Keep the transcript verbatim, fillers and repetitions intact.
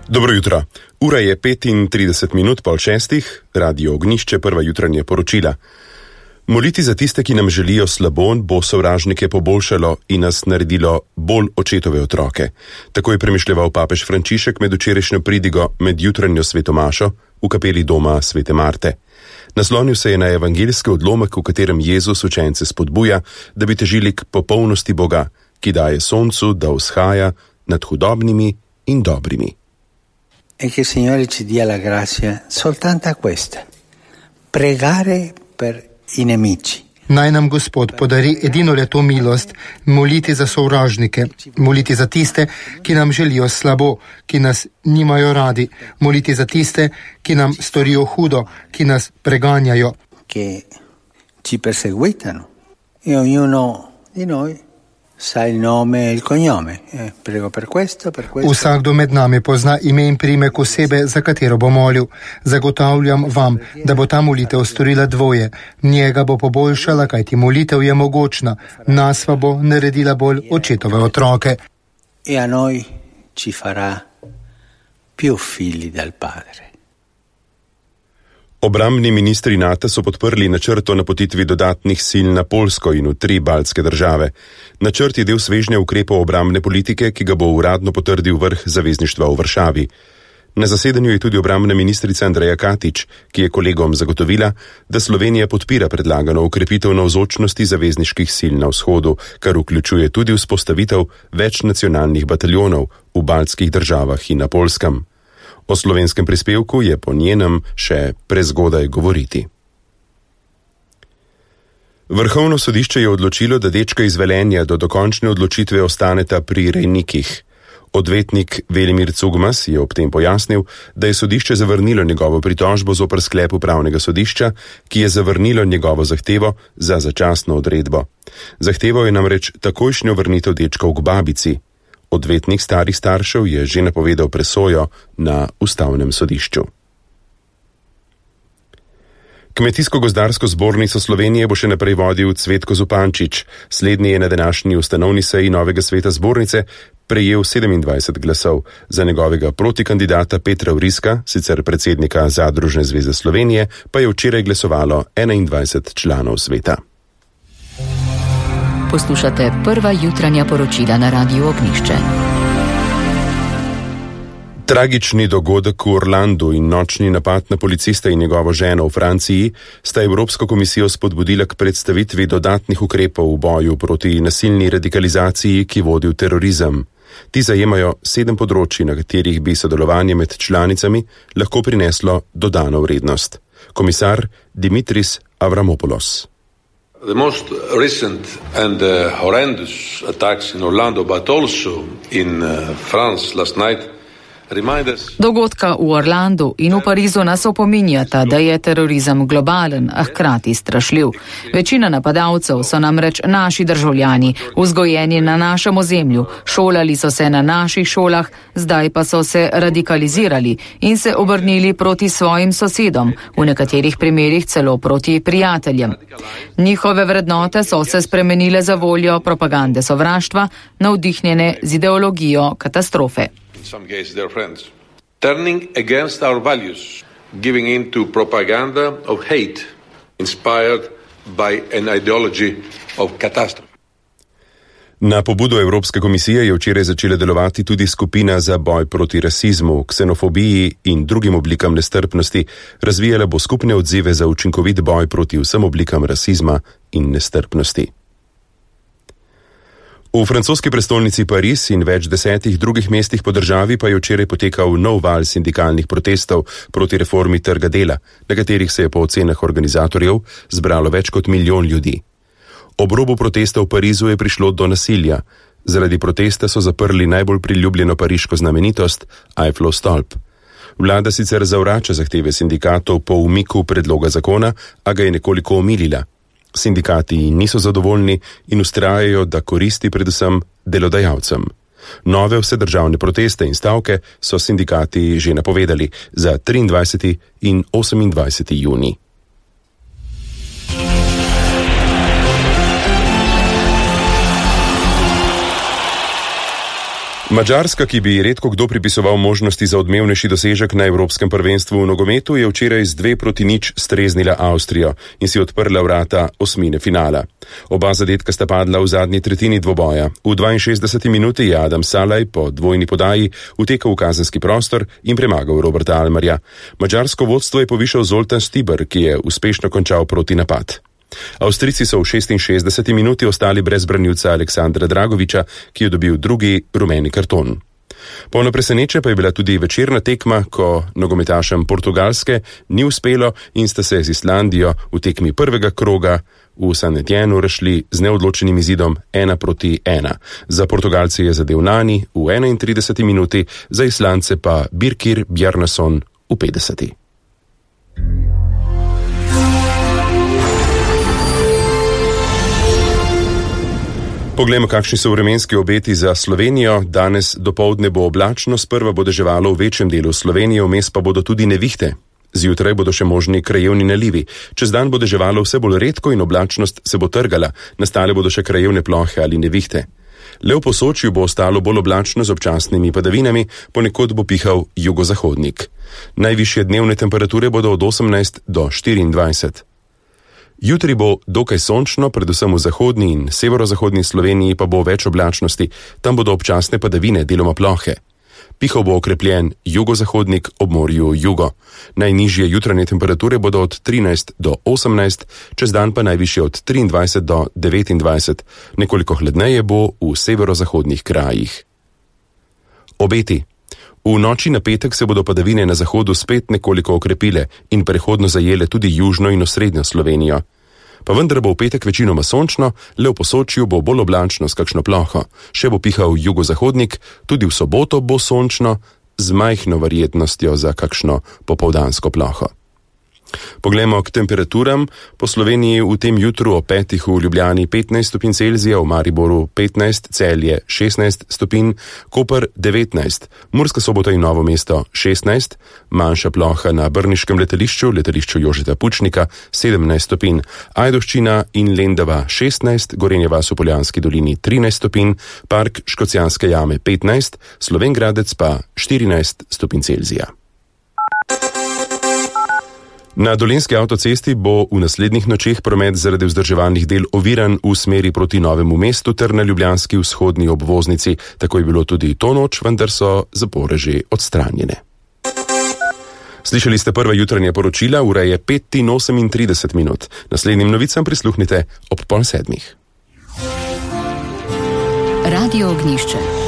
Dobro jutro. Ura je petintrideset minut pol šestih, Radio Ognjišče, prva jutranje poročila. Moliti za tiste, ki nam želijo slabo, bo sovražnike poboljšalo in nas naredilo bolj očetove otroke. Tako je premišljeval papež Frančišek med včerajšnjo pridigo med jutranjo svetomašo v kapeli doma Svete Marte. Naslonil se je na evangeljski odlomek, v katerem Jezus učence spodbuja, da bi težili k popolnosti Boga, ki daje soncu, da vzhaja nad hudobnimi in dobrimi. E che il Signore ci dia la grazia soltanto a questa, pregare per i nemici. Naj nam Gospod podari edino le to milost, moliti za sovražnike, moliti za tiste, ki nam želijo slabo, ki nas nimajo radi, moliti za tiste, ki nam storijo hudo, ki nas preganjajo. Che ci perseguitano. E ognuno di noi sa il nome e il cognome. Eh, prego per questo, per questo. Vsakdo med nami pozna ime in priimek osebe, za katero bo molil. Zagotavljam vam, da bo ta molitev storila dvoje. Njega bo poboljšala, kajti molitev je mogočna. Nas pa bo naredila bolj očetove otroke. E a noi ci farà più figli del Padre. Obrambni ministri NATO so podprli načrt o napotitvi dodatnih sil na Poljsko in v tri baltske države. Načrt je del svežnja ukrepov obrambne politike, ki ga bo uradno potrdil vrh zavezništva v Varšavi. Na zasedanju je tudi obrambna ministrica Andreja Katič, ki je kolegom zagotovila, da Slovenija podpira predlagano ukrepitev navzočnosti zavezniških sil na vzhodu, kar vključuje tudi vzpostavitev več nacionalnih bataljonov v baltskih državah in na Poljskem. O slovenskem prispevku je po njenem še prezgodaj govoriti. Vrhovno sodišče je odločilo, da dečka iz Velenja do dokončne odločitve ostaneta pri rejnikih. Odvetnik Velimir Cugmas je ob tem pojasnil, da je sodišče zavrnilo njegovo pritožbo zoper sklep upravnega sodišča, ki je zavrnilo njegovo zahtevo za začasno odredbo. Zahteval je namreč takojšnjo vrnitev dečkov k babici. Odvetnik starih staršev je že napovedal presojo na ustavnem sodišču. Kmetijsko-gozdarsko zbornico Slovenije bo še naprej vodil Cvetko Zupančič. Slednji je na današnji ustanovni seji novega sveta zbornice prejel sedemindvajset glasov. Za njegovega protikandidata Petra Vriska, sicer predsednika Zadružne zveze Slovenije, pa je včeraj glasovalo enaindvajset članov sveta. Poslušate prva jutranja poročila na Radiu Ognjišče. Tragični dogodek v Orlandu in nočni napad na policista in njegovo ženo v Franciji sta Evropsko komisijo spodbudila k predstavitvi dodatnih ukrepov v boju proti nasilni radikalizaciji, ki vodi v terorizem. Ti zajemajo sedem področji, na katerih bi sodelovanje med članicami lahko prineslo dodano vrednost. Komisar Dimitris Avramopoulos. The most recent and uh, horrendous attacks in Orlando, but also in uh, France last night, Dogodka v Orlandu in v Parizu nas opominjata, da je terorizem globalen, a hkrati strašljiv. Večina napadalcev so namreč naši državljani, vzgojeni na našem ozemlju, šolali so se na naših šolah, zdaj pa so se radikalizirali in se obrnili proti svojim sosedom, v nekaterih primerih celo proti prijateljem. Njihove vrednote so se spremenile za voljo propagande sovraštva, navdihnjene z ideologijo katastrofe. in some cases their friends, turning against our values, giving in to propaganda of hate, inspired by an ideology of catastrophe. Na pobudo Evropske komisije je včeraj začela delovati tudi skupina za boj proti rasizmu, ksenofobiji in drugim oblikam nestrpnosti. Razvijala bo skupne odzive za učinkovit boj proti vsem oblikam rasizma in nestrpnosti. V francoski prestolnici Pariz in več desetih drugih mestih po državi pa je včeraj potekal nov val sindikalnih protestov proti reformi trga dela, na katerih se je po ocenah organizatorjev zbralo več kot milijon ljudi. Ob robu protesta v Parizu je prišlo do nasilja. Zaradi protesta so zaprli najbolj priljubljeno pariško znamenitost, Eiffelov stolp. Vlada sicer zavrača zahteve sindikatov po umiku predloga zakona, a ga je nekoliko omilila. Sindikati niso zadovoljni in vztrajajo, da koristi predvsem delodajalcem. Nove vsedržavne proteste in stavke so sindikati že napovedali za triindvajseti in osemindvajseti junij. Madžarska, ki bi redko kdo pripisoval možnosti za odmevnejši dosežek na Evropskem prvenstvu v nogometu, je včeraj z dve proti nič streznila Avstrijo in si odprla vrata osmine finala. Oba zadetka sta padla v zadnji tretjini dvoboja. V dvainšestdeseti minuti je Adam Salaj po dvojni podaji utekal v kazenski prostor in premagal Roberta Almarja. Madžarsko vodstvo je povišal Zoltan Stibar, ki je uspešno končal protinapad. Avstrijci so v šestinšestdeseti minuti ostali brez branilca Aleksandra Dragoviča, ki je dobil drugi rumeni karton. Polno preseneče pa je bila tudi večerna tekma, ko nogometašem Portugalske ni uspelo in sta se z Islandijo v tekmi prvega kroga v San Etienu rešili z neodločenim izidom ena proti ena. Za Portugalce je zadel Nani v enaintrideseti minuti, za Islance pa Birkir Bjarnason v petdeseti. Poglejmo, kakšni so vremenski obeti za Slovenijo. Danes dopoldne bo oblačno, sprva bo deževalo v večjem delu Slovenije, vmes pa bodo tudi nevihte. Zjutraj bodo še možni krajevni nalivi. Čez dan bo deževalo vse bolj redko in oblačnost se bo trgala, nastale bodo še krajevne plohe ali nevihte. Le v Posočju bo ostalo bolj oblačno z občasnimi padavinami, ponekod bo pihal jugozahodnik. Najvišje dnevne temperature bodo od osemnajst do štiriindvajset. Jutri bo dokaj sončno, predvsem v zahodni in severozahodni Sloveniji pa bo več oblačnosti, tam bodo občasne padavine, deloma plohe. Pihal bo okrepljen jugozahodnik ob morju jugo. Najnižje jutranje temperature bodo od trinajst do osemnajst, čez dan pa najvišje od triindvajset do devetindvajset, nekoliko hladneje bo v severozahodnih krajih. Obeti. V noči na petek se bodo padavine na zahodu spet nekoliko okrepile in prehodno zajele tudi južno in osrednjo Slovenijo. Pa vendar bo v petek večinoma sončno, le v Posočju bo bolj oblačno s kakšno ploho. Še bo pihal jugozahodnik, tudi v soboto bo sončno, z majhno verjetnostjo za kakšno popoldansko ploho. Poglejmo k temperaturam. Po Sloveniji v tem jutru o petih v Ljubljani petnajst stopinj Celzija, v Mariboru petnajst, Celje šestnajst stopinj, Koper devetnajst, Murska Sobota in Novo mesto šestnajst, manjša ploha na brniškem letališču, letališču Jožeta Pučnika sedemnajst stopinj, Ajdovščina in Lendava šestnajst, Gorenja vas v Poljanski dolini trinajst stopinj, Park Škocjanske jame petnajst, Slovenj Gradec pa štirinajst stopinj Celzija. Na Dolenjski avtocesti bo v naslednjih nočeh promet zaradi vzdrževalnih del oviran v smeri proti Novemu mestu ter na ljubljanski vzhodni obvoznici. Tako je bilo tudi to noč, vendar so zapore že odstranjene. Slišali ste prva jutranja poročila, ura je pet in osemintrideset minut. Naslednjim novicam prisluhnite ob pol sedmih. Radio Ognjišče.